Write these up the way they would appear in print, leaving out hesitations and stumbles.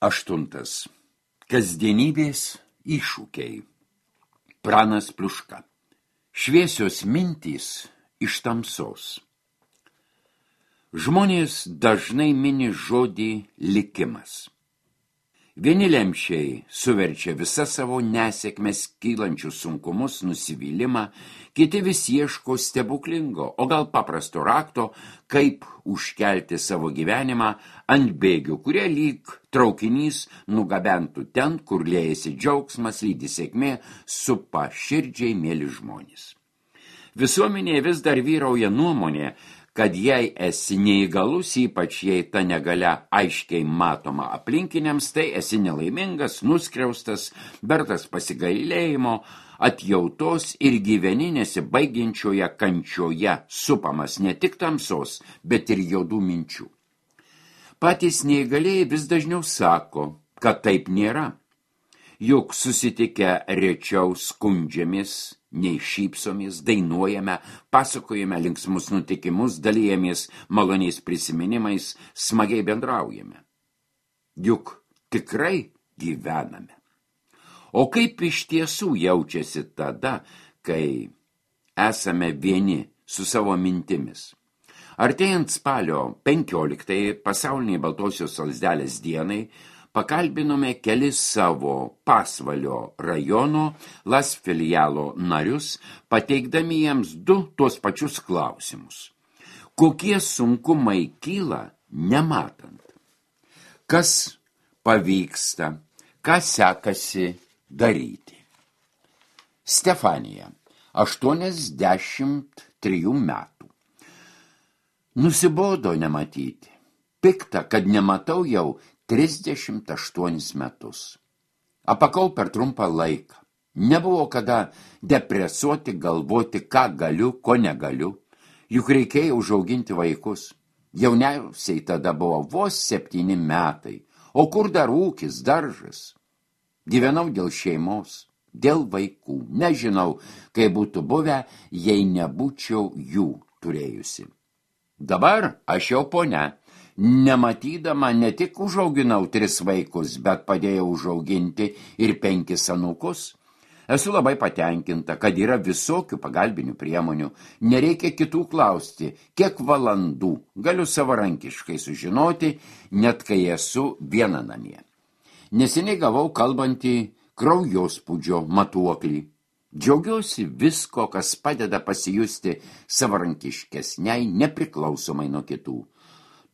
8. Kasdienybės iššūkiai. Pranas Pliuška. Šviesios mintys iš tamsos. Žmonės dažnai mini žodį likimas. Vieni lemčiai suverčia visą savo nesėkmes kylančius sunkumus, nusivylimą, kiti vis ieško stebuklingo, o gal paprasto rakto, kaip užkelti savo gyvenimą ant bėgių, kurie lyg traukinys nugabentų ten, kur liejasi džiaugsmas, lydi sėkmė, supa širdžiai mėly žmonės. Visuomenėje vis dar vyrauja nuomonė, kad jei esi neįgalus, ypač jei ta negalia aiškiai matoma aplinkiniams, tai esi nelaimingas, nuskriaustas, vertas pasigailėjimo, atjautos ir gyveni nesibaigiančioje kančioje, supamas ne tik tamsos, bet ir juodų minčių. Patys neįgalieji vis dažniau sako, kad taip nėra. Juk susitikę rečiau skundžiamės, nei šypsomės, dainuojame, pasakojame linksmus nutikimus, dalijamės maloniais prisiminimais, smagiai bendraujame. Juk tikrai gyvename. O kaip iš tiesų jaučiasi tada, kai esame vieni su savo mintimis? Artėjant spalio 15 pasauliniai Baltosios lazdelės dienai, pakalbinome kelis savo Pasvalio rajono Las filialo narius, pateikdami jiems du tuos pačius klausimus. Kokie sunkumai kyla nematant? Kas pavyksta? Ką sekasi daryti? Stefanija, 83 metų. Nusibodo nematyti. Pikta, kad nematau jau 38 metus. Apakau per trumpą laiką. Nebuvo kada depresuoti, galvoti, ką galiu, ko negaliu. Juk reikėjo užauginti vaikus. Jauniausiai tada buvo vos 7 metai. O kur dar ūkis, daržas? Gyvenau dėl šeimos, dėl vaikų. Nežinau, kaip būtų buvę, jei nebūčiau jų turėjusi. Dabar aš jau ponia. Nematydama ne tik užauginau 3 vaikus, bet padėjau užauginti ir 5 anūkus. Esu labai patenkinta, kad yra visokių pagalbinių priemonių. Nereikia kitų klausti, kiek valandų galiu savarankiškai sužinoti, net kai esu viena namie. Neseniai gavau kalbantį kraujospūdžio matuoklį. Džiaugiuosi visko, kas padeda pasijusti savarankiškesniai, nepriklausomai nuo kitų.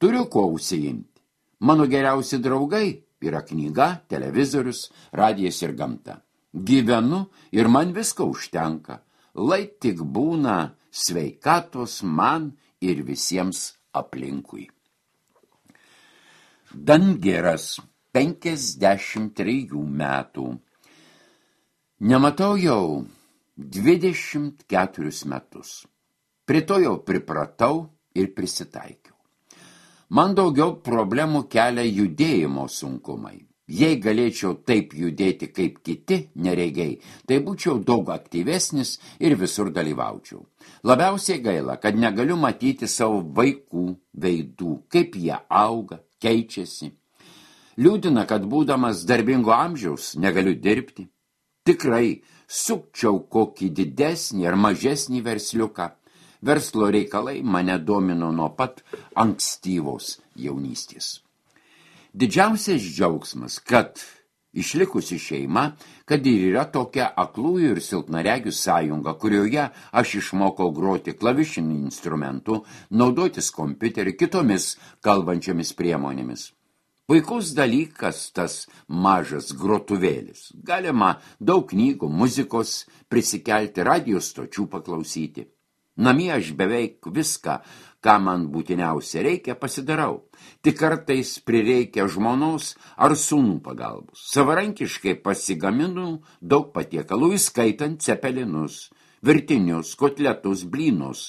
Turiu ko užsiimti. Mano geriausi draugai yra knyga, televizorius, radijas ir gamta. Gyvenu ir man visko užtenka. Lai tik būna sveikatos man ir visiems aplinkui. Dangiras, 53 metų. Nematau jau 24 metus. Prie to jau pripratau ir prisitaikiau. Man daugiau problemų kelia judėjimo sunkumai. Jei galėčiau taip judėti kaip kiti neregiai, tai būčiau daug aktyvesnis ir visur dalyvaučiau. Labiausiai gaila, kad negaliu matyti savo vaikų veidų, kaip jie auga, keičiasi. Liūdina, kad būdamas darbingo amžiaus negaliu dirbti. Tikrai sukčiau kokį didesnį ar mažesnį versliuką. Verslo reikalai mane domino nuo pat ankstyvos jaunystės. Didžiausias džiaugsmas, kad išlikusi šeima, kad ir yra tokia aklųjų ir silpnaregių sąjunga, kurioje aš išmokau groti klavišinių instrumentų, naudotis kompiuteriu, kitomis kalbančiomis priemonėmis. Puikus dalykas tas mažas grotuvėlis. Galima daug knygų, muzikos prisikelti, radijo stočių paklausyti. Namie aš beveik viską, ką man būtiniausia reikia, pasidarau. Tik kartais prireikia žmonos ar sūnų pagalbos. Savarankiškai pasigaminu daug patiekalų, įskaitant cepelinus, virtinius, kotletus, blynus.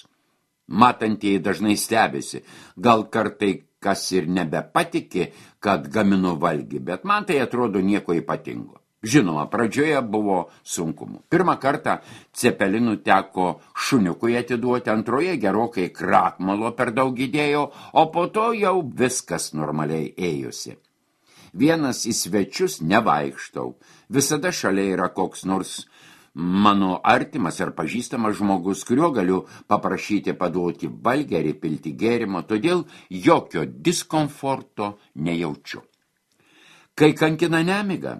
Matantieji dažnai stebisi, gal kartai kas ir nebepatiki, kad gaminu valgį, bet man tai atrodo nieko ypatingo. Žinoma, pradžioje buvo sunkumų. Pirmą kartą cepelinų teko šuniukui atiduoti, antroje gerokai krakmalo per daug įdėjo, o po to jau viskas normaliai ėjosi. Vienas į svečius nevaikštau. Visada šalia yra koks nors mano artimas ar pažįstamas žmogus, kuriuo galiu paprašyti paduoti valgį ar įpilti gėrimo, todėl jokio diskomforto nejaučiu. Kai kankina nemiga,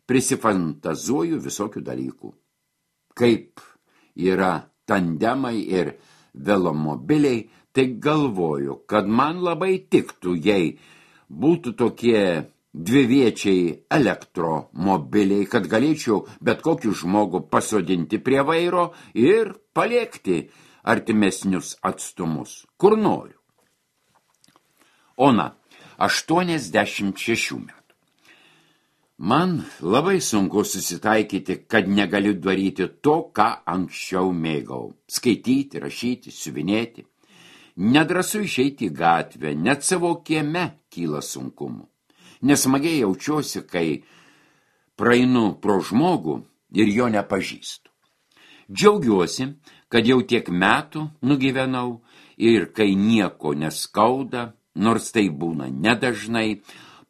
prisifantazuoju visokių dalykų. Kaip yra tandemai ir velomobiliai, tai galvoju, kad man labai tiktų, jei būtų tokie dviviečiai elektromobiliai, kad galėčiau bet kokį žmogų pasodinti prie vairo ir paliekti artimesnius atstumus, kur noriu. Ona, 86 metų. Man labai sunku susitaikyti, kad negaliu daryti to, ką anksčiau mėgau. Skaityti, rašyti, siuvinėti. Nedrąsu išeiti į gatvę, net savo kieme kyla sunkumų. Nesmagiai jaučiuosi, kai praeinu pro žmogų ir jo nepažįstu. Džiaugiuosi, kad jau tiek metų nugyvenau ir kai nieko neskauda, nors tai būna nedažnai,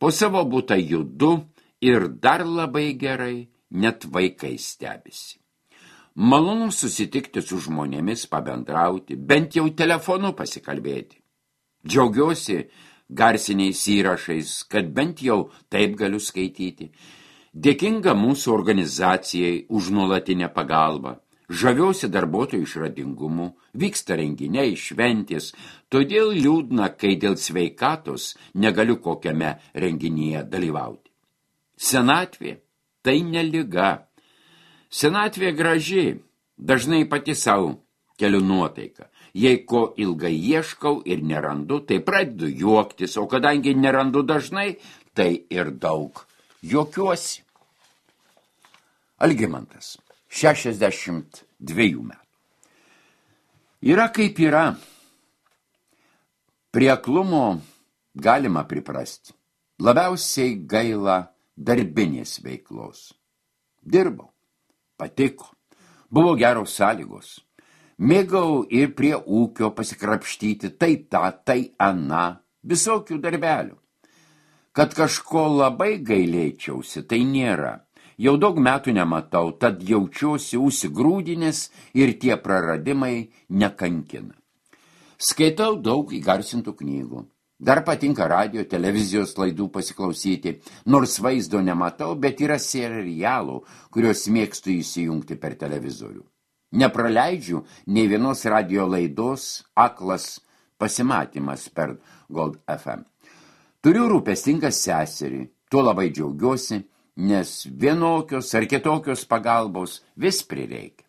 po savo butą judu ir dar labai gerai, net vaikai stebisi. Malonu susitikti su žmonėmis, pabendrauti, bent jau telefonu pasikalbėti. Džiaugiuosi garsiniais įrašais, kad bent jau taip galiu skaityti. Dėkinga mūsų organizacijai už nuolatinę pagalbą. Žaviuosi darbuotojų išradingumu, vyksta renginiai, šventės, todėl liūdna, kai dėl sveikatos negaliu kokiame renginyje dalyvauti. Senatvė tai ne liga. Senatvė graži, dažnai pati savo keliu nuotaiką. Jei ko ilgai ieškau ir nerandu, tai pradedu juoktis, o kadangi nerandu dažnai, tai ir daug juokiuosi. Algimantas, 62 metų. Yra kaip yra. Prie aklumo galima priprasti. Labiausiai gaila darbinės veiklos. Dirbau, patiko, buvo geros sąlygos. Mėgau ir prie ūkio pasikrapštyti, tai tą, tai aną, visokių darbelių. Kad kažko labai gailėčiausi, tai nėra. Jau daug metų nematau, tad jaučiuosi užsigrūdinęs ir tie praradimai nekankina. Skaitau daug įgarsintų knygų. Dar patinka radio, televizijos laidų pasiklausyti, nors vaizdo nematau, bet yra serialų, kuriuos mėgstu įsijungti per televizorių. Nepraleidžiu nei vienos radio laidos aklas pasimatymas per Gold FM. Turiu rūpestingą seserį, tuo labai džiaugiuosi, nes vienokios ar kitokios pagalbos vis prireikia.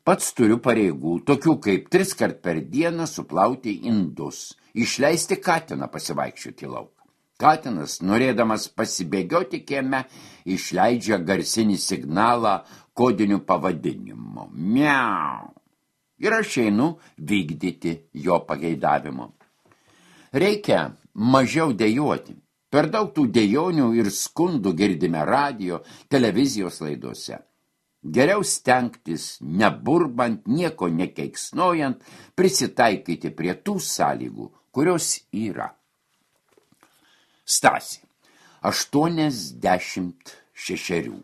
Pats turiu pareigų, tokių kaip 3 kart per dieną suplauti indus, išleisti katiną pasivaikščioti lauką. Katinas, norėdamas pasibėgioti kieme, išleidžia garsinį signalą kodiniu pavadinimu. Miau. Ir aš einu vykdyti jo pageidavimo. Reikia mažiau dejuoti. Per daug tų dejonių ir skundų girdime radio, televizijos laidose. Geriau stengtis, neburbant, nieko nekeiksnojant, prisitaikyti prie tų sąlygų, kurios yra. Stasė, 86.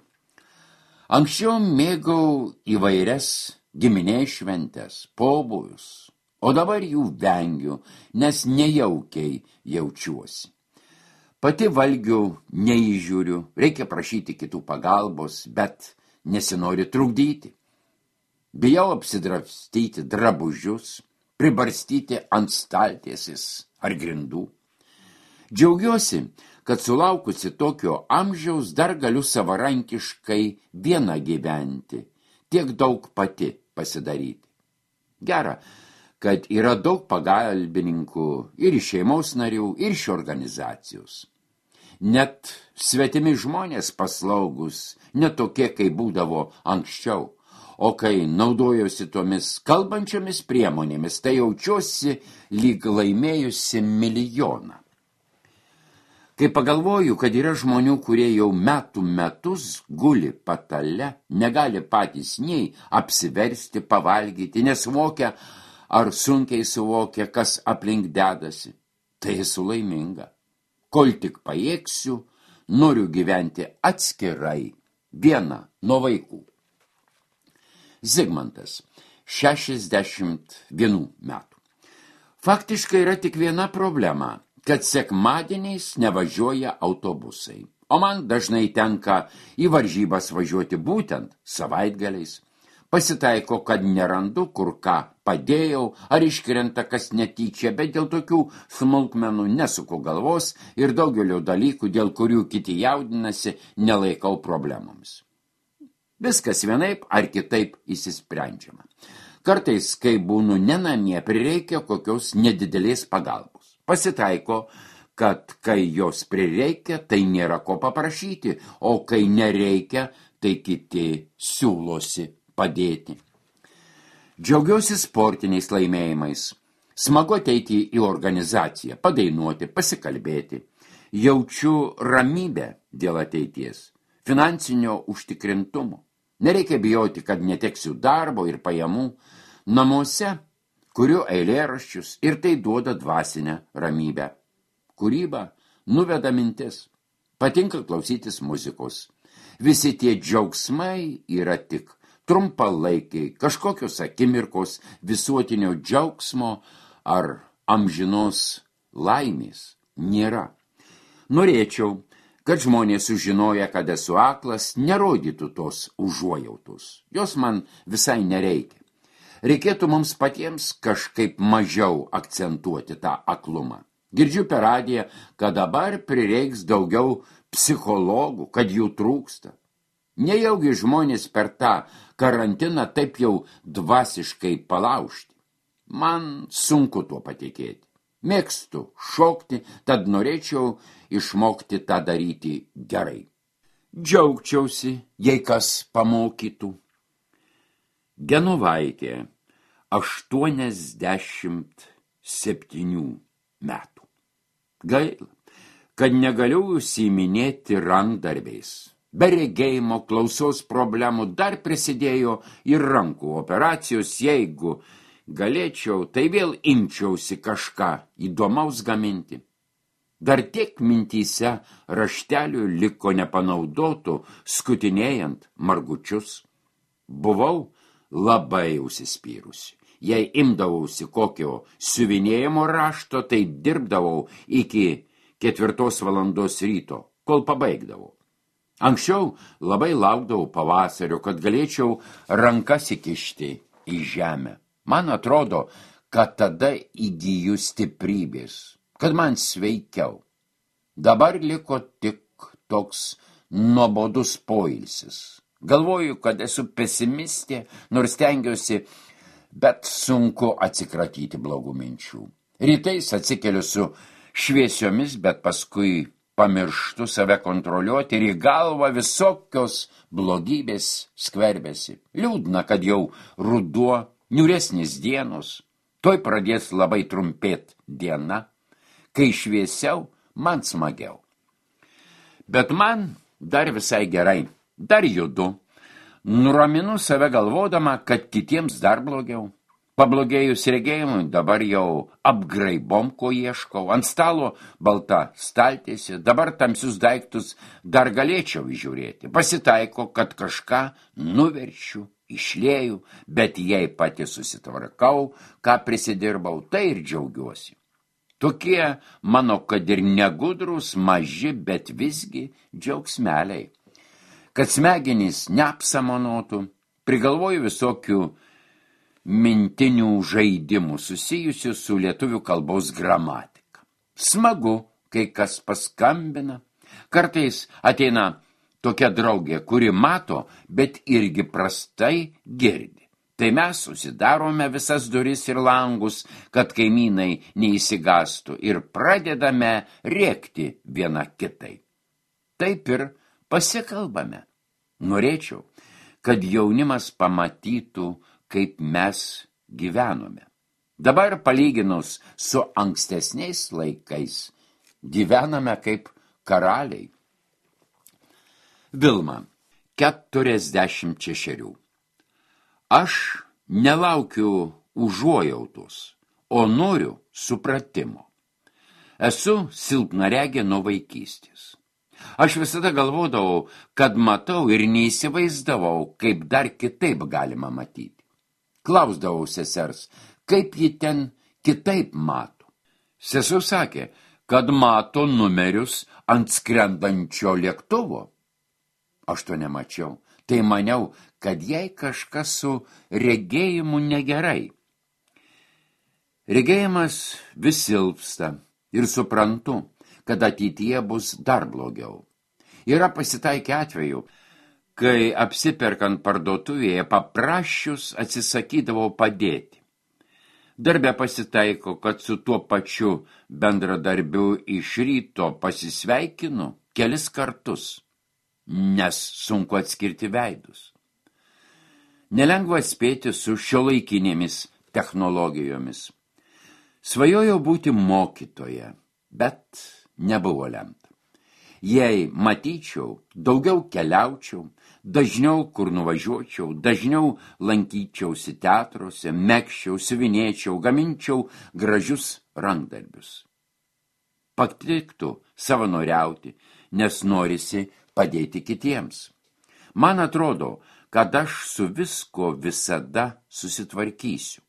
Anksčiau mėgau įvairias giminės šventes, pobūvius, o dabar jų vengiu, nes nejaukiai jaučiuosi. Pati valgių neįžiūriu, reikia prašyti kitų pagalbos, bet nesinori trukdyti. Bijau apsidrabstyti drabužius, pribarstyti ant staltiesės ar grindų. Džiaugiuosi, kad sulaukusi tokio amžiaus dar galiu savarankiškai viena gyventi, tiek daug pati pasidaryti. Gera, kad yra daug pagalbininkų ir iš šeimos narių, ir iš organizacijos. Net svetimi žmonės paslaugus, ne tokie, kai būdavo anksčiau, o kai naudojosi tomis kalbančiomis priemonėmis, tai jaučiuosi lyg laimėjusi milijoną. Kai pagalvoju, kad yra žmonių, kurie jau metų metus guli patale, negali patys nei apsiversti, pavalgyti, nesuvokia ar sunkiai suvokia, kas aplink dedasi, tai esu laiminga. Kol tik pajėgsiu, noriu gyventi atskirai, viena nuo vaikų. Zigmantas, 61 metų. Faktiškai yra tik viena problema, kad sekmadieniais nevažiuoja autobusai, o man dažnai tenka į varžybas važiuoti būtent savaitgaliais. Pasitaiko, kad nerandu, kur ką padėjau, ar iškrenta kas netyčia, bet dėl tokių smulkmenų nesuku galvos ir daugelio dalykų, dėl kurių kiti jaudinasi, nelaikau problemoms. Viskas vienaip ar kitaip įsisprendžiama. Kartais, kai būnu nenamie, prireikia kokios nedidelės pagalbos. Pasitaiko, kad kai jos prireikia, tai nėra ko paprašyti, o kai nereikia, tai kiti siūlosi padėti. Džiaugiausi sportiniais laimėjimais. Smagu ateiti į organizaciją, padainuoti, pasikalbėti. Jaučiu ramybę dėl ateities, finansinio užtikrintumo. Nereikia bijoti, kad neteksiu darbo ir pajamų. Namuose kuriu eilėraščius ir tai duoda dvasinę ramybę. Kūryba nuveda mintis. Patinka klausytis muzikos. Visi tie džiaugsmai yra tik trumpalaikiai, kažkokios akimirkos visuotinio džiaugsmo ar amžinos laimės nėra. Norėčiau, kad žmonės sužinoję, kad esu aklas, nerodytų tos užuojautos. Jos man visai nereikia. Reikėtų mums patiems kažkaip mažiau akcentuoti tą aklumą. Girdžiu per radiją, kad dabar prireiks daugiau psichologų, kad jų trūksta. Nejaugi žmonės per tą karantiną taip jau dvasiškai palaužti. Man sunku tuo patikėti. Mėgstu šokti, tad norėčiau išmokti tą daryti gerai. Džiaugčiausi, jei kas pamokytų. Genovaitė, 87 metų. Gaila, kad negaliu užsiiminėti rankdarbiais. Be regėjimo, klausos problemų dar prisidėjo ir rankų operacijos. Jeigu galėčiau, tai vėl imčiausi kažką įdomaus gaminti. Dar tiek mintyse raštelių liko nepanaudotų, skutinėjant margučius. Buvau labai užsispyrusi. Jei imdavausi kokio siuvinėjimo rašto, tai dirbdavau iki 4 valandos ryto, kol pabaigdavau. Anksčiau labai laukdavau pavasario, kad galėčiau rankas įkišti į žemę. Man atrodo, kad tada įgyju stiprybės, kad man sveikiau. Dabar liko tik toks nuobodus poilsis. Galvoju, kad esu pesimistė, nors stengiuosi, bet sunku atsikratyti blogų minčių. Rytais atsikeliu su šviesiomis, bet paskui pamirštu save kontroliuoti ir į galvą visokios blogybės skverbėsi. Liūdna, kad jau ruduo, niūresnis dienos, toj pradės labai trumpėt diena, kai šviesiau, man smagiau. Bet man dar visai gerai, dar judu, nuraminu save galvodama, kad kitiems dar blogiau. Pablogėjus regėjimui, dabar jau apgraibom, ko ieškau, ant stalo balta staltiesė, dabar tamsius daiktus dar galėčiau įžiūrėti. Pasitaiko, kad kažką nuverčiu, išlieju, bet jei pati susitvarkau, ką prisidirbau, tai ir džiaugiuosi. Tokie mano, kad ir negudrus, maži, bet visgi džiaugsmeliai. Kad smegenys neapsamonotų, prigalvoju visokių mintinių žaidimų susijusių su lietuvių kalbos gramatika. Smagu, kai kas paskambina. Kartais ateina tokia draugė, kuri mato, bet irgi prastai girdi. Tai mes susidarome visas duris ir langus, kad kaimynai neįsigastų ir pradedame rėkti viena kitai. Taip ir pasikalbame. Norėčiau, kad jaunimas pamatytų, kaip mes gyvenome. Dabar palyginus su ankstesniais laikais gyvename kaip karaliai. Vilma, 46. Aš nelaukiu užuojautos, o noriu supratimo. Esu silpnaregė nuo vaikystės. Aš visada galvodavau, kad matau ir neįsivaizdavau, kaip dar kitaip galima matyti. Klausdavau sesers, kaip ji ten kitaip mato. Sesuo sakė, kad mato numerius ant skrendančio lėktuvo. Aš to nemačiau, tai maniau, kad jai kažkas su regėjimu negerai. Regėjimas vis silpsta ir suprantu, kad ateityje bus dar blogiau. Yra pasitaikę atveju, kai apsiperkant parduotuvėje paprašius atsisakydavau padėti. Darbe pasitaiko, kad su tuo pačiu bendradarbiu iš ryto pasisveikinu kelis kartus, nes sunku atskirti veidus. Nelengva spėti su šiuolaikinėmis technologijomis. Svajojau būti mokytoja, bet nebuvo lemta. Jei matyčiau, daugiau keliaučiau, dažniau kur nuvažiuočiau, dažniau lankyčiausi teatruose, megščiau, siuvinėčiau, gaminčiau gražius rankdarbius. Patiktų savanoriauti, nes norisi padėti kitiems. Man atrodo, kad aš su visko visada susitvarkysiu.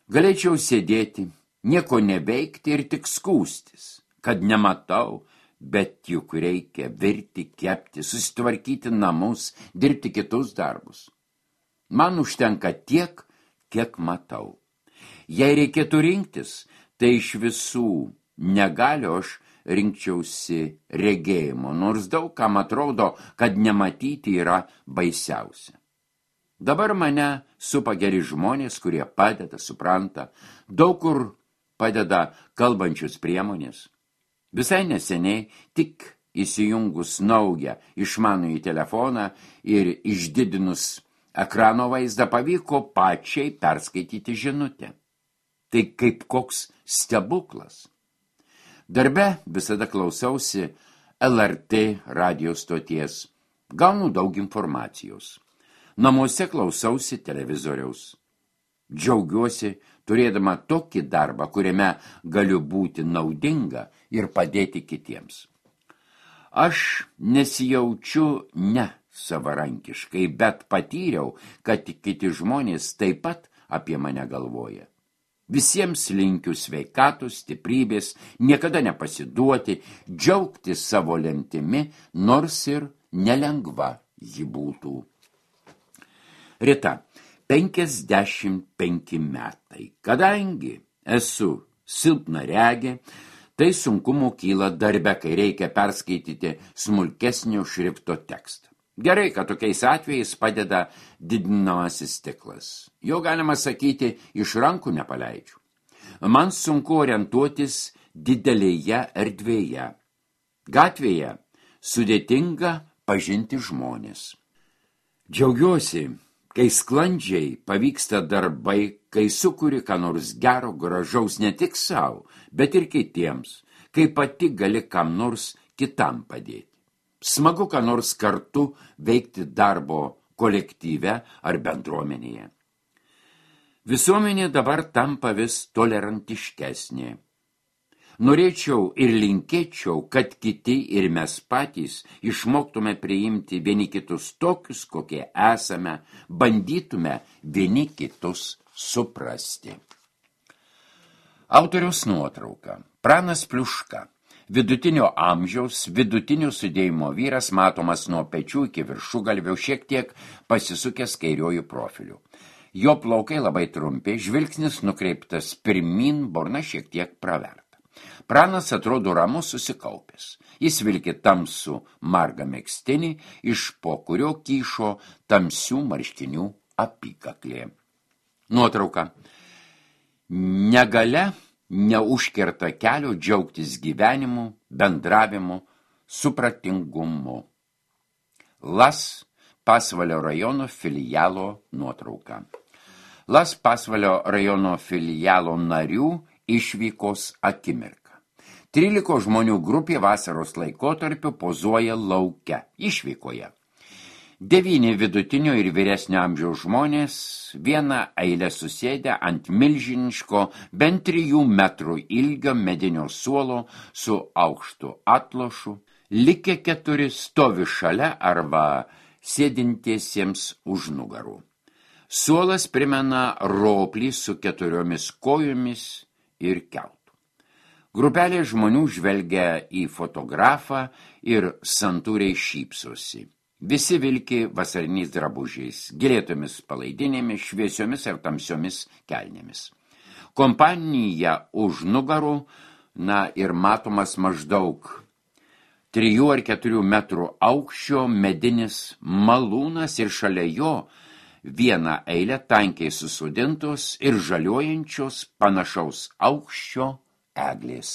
Galėčiau sėdėti, nieko neveikti ir tik skūstis, kad nematau, bet juk reikia virti, kepti, susitvarkyti namus, dirbti kitus darbus. Man užtenka tiek, kiek matau. Jei reikėtų rinktis, tai iš visų negaliu aš rinkčiausi regėjimo, nors daug kam atrodo, kad nematyti yra baisiausia. Dabar mane supa geri žmonės, kurie padeda, supranta, daug kur padeda kalbančius priemonės. Visai neseniai, tik įsijungus naują išmanųjį telefoną ir išdidinus ekrano vaizdą, pavyko pačiai perskaityti žinutę. Tai kaip koks stebuklas. Darbe visada klausausi LRT radijo stoties. Gaunu daug informacijos. Namuose klausausi televizoriaus. Džiaugiuosi, turėdama tokį darbą, kuriame galiu būti naudinga ir padėti kitiems. Aš nesijaučiu ne savarankiškai, bet patyriau, kad kiti žmonės taip pat apie mane galvoja. Visiems linkiu sveikatos, stiprybės, niekada nepasiduoti, džiaugtis savo lemtimi, nors ir nelengva ji būtų. Rita, 55 metai. Kadangi esu silpnaregė, tai sunkumų kyla darbe, kai reikia perskaityti smulkesnio šrifto tekstą. Gerai, kad tokiais atvejais padeda didinamasis stiklas. Jo galima sakyti, iš rankų nepaleidžiu. Man sunku orientuotis didelėje erdvėje. Gatvėje sudėtinga pažinti žmonės. Džiaugiuosi, kai sklandžiai pavyksta darbai, kai sukuri ką nors gero, gražaus ne tik savo, bet ir kitiems, kai pati gali kam nors kitam padėti. Smagu ką nors kartu veikti darbo kolektyve ar bendruomenėje. Visuomenė dabar tampa vis tolerantiškesnė. Norėčiau ir linkėčiau, kad kiti ir mes patys išmoktume priimti vieni kitus tokius, kokie esame, bandytume vieni kitus suprasti. Autoriaus nuotrauka. Pranas Pliuška. Vidutinio amžiaus, vidutinio sudėjimo vyras, matomas nuo pečių iki viršugalvio, šiek tiek pasisukęs kairiuoju profiliu. Jo plaukai labai trumpi, žvilgsnis nukreiptas pirmin, burna šiek tiek praverta. Pranas atrodo ramus, susikaupęs. Jis vilki tamsų margą megztinį, iš po kurio kyšo tamsių marškinių apykaklė. Nuotrauka. Negalia neužkerta kelio džiaugtis gyvenimu, bendravimu, supratingumu. Las Pasvalio rajono filialo nuotrauka. Las Pasvalio rajono filialo narių išvykos akimirka. 13 žmonių grupė vasaros laikotarpiu pozuoja lauke, išvykoje. 9 vidutinio ir vyresnio amžiaus žmonės vieną eilę susėdę ant milžiniško, bent 3 metrų ilgio medinio suolo su aukštu atlošu, Likę 4 stovi šalia arba sėdintiesiems už nugarų. Suolas primena roplį su 4 kojomis ir keltu. Grupelė žmonių žvelgia į fotografą ir santūriai šypsosi. Visi vilki vasariniais drabužiais, gėlėtomis palaidinėmis, šviesiomis ar tamsiomis kelnėmis. Kompanija už nugarų, ir matomas maždaug 3 ar 4 metrų aukščio medinis malūnas ir šalia jo vieną eilę tankiai susodintos ir žaliuojančios panašaus aukščio eglės.